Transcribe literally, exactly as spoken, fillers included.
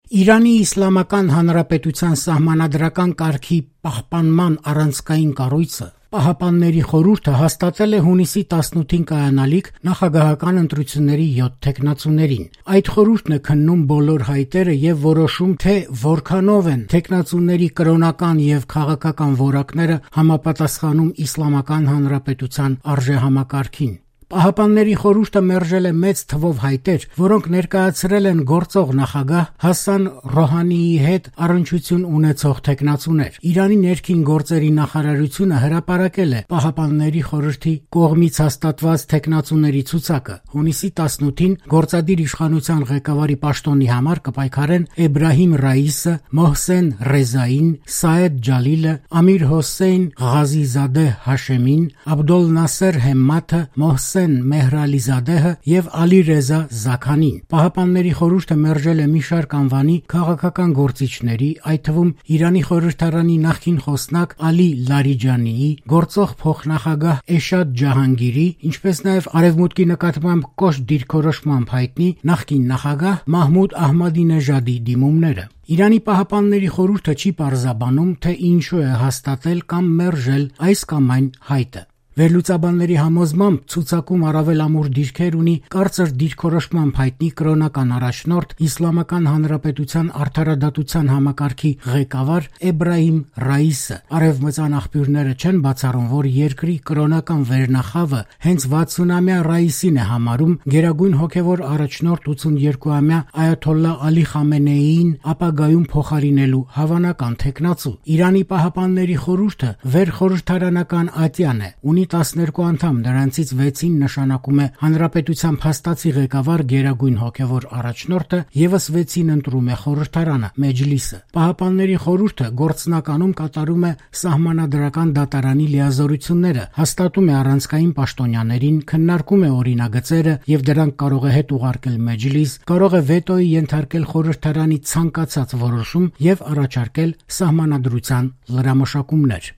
Իրանի Իսլամական Հանրապետության սահմանադրական կարգի պահպանման առանցքային կառույցը Պահապանների խորհուրդը հաստատել է հունիսի տասնութին կայանալիք նախագահական ընտրությունների յոթ թեկնածուներին։ Այդ խորհուրդն է քննում բոլոր հայտերը եւ որոշում, թե որքանով են թեկնածուների կրոնական եւ քաղաքական որակները համապատասխանում Իսլամական Հանրապետության արժեհամակարգին։ Պահապանների խորհուրդը մերժել է մեծ թվով հայտեր, որոնք ներկայացրել են գործող նախագահ Հասան Ռոհանիի հետ առնչություն ունեցող թեկնածուներ։ Իրանի ներքին գործերի նախարարությունը հրապարակել է Պահապանների խորհրդի կողմից հաստատված թեկնածուների ցուցակը։ Հունիսի տասնութին գործադիր իշխանության ղեկավարի պաշտոնի համար կպայքարեն Էբրահիմ Ռայիսը, Մոհսեն Ռեզային, Սաեդ Ջալիլը, Ամիր Հոսեյն Ղազիզադեհ Հաշեմին, Աբդոլ Նասեր Հեմմաթը, Մոհսեն Մեհրալիզադեհը եւ Ալի Ռեզա Զաքանին։ Պահապանների խորհուրդը մերժել է մի շարք անվանի քաղաքական գործիչների, այդ թվում Իրանի խորհրդարանի նախկին խոսնակ Ալի Լարիջանիի, գործող փոխնախագահ Էշադ Ջահանգիրի, ինչպես նաեւ Արևմուտքի նկատմամբ կոշտ դիրքորոշմամբ հայտնի նախկին նախագահ Մահմուդ Ահմադինեժադի դիմումները։ Իրանի Պահապանների խորհուրդը չի պարզաբանում, թե ինչու է հաստատել կամ մերժել այս կամ այն հայտը։ Վերլուծաբանների համոզմամբ ցուցակում առավել ամուր դիրքեր ունի կարծր դիրքորոշմամբ հայտնի կրոնական առաջնորդ Իսլամական Հանրապետության արդարադատության համակարգի ղեկավար Էբրահիմ Ռայիսը։ Արևմտյան աղբյուրները չեն բացառում, որ երկրի կրոնական վերնախավը հենց վաթսունամյա Ռայիսին է համարում գերագույն հոգևոր առաջնորդ ութսուներկուամյա Այաթոլլահ Ալի Խամենեիին ապագայում փոխարինելու հավանական թեկնածու։ Իրանի Պահապանների խորհուրդը վերխորհրդարանական ատյան է, ունի տասներկու անդամ, նրանցից վեցին նշանակում է հանրապետության փաստացի ղեկավար գերագույն հոգևոր առաջնորդը, եւս վեցին ընտրում է խորհրդարանը, մեջլիսը։ Պահապանների խորհուրդը գործնականում կատարում է սահմանադրական դատարանի լիազորությունները, հաստատում է առանցքային պաշտոնյաներին, քննարկում է օրինագծերը եւ դրանք կարող է հետ ուղարկել մեջլիս, կարող է վետոյի ենթարկել խորհրդարանի ցանկացած որոշում եւ առաջարկել սահմանադրության լրամշակումներ։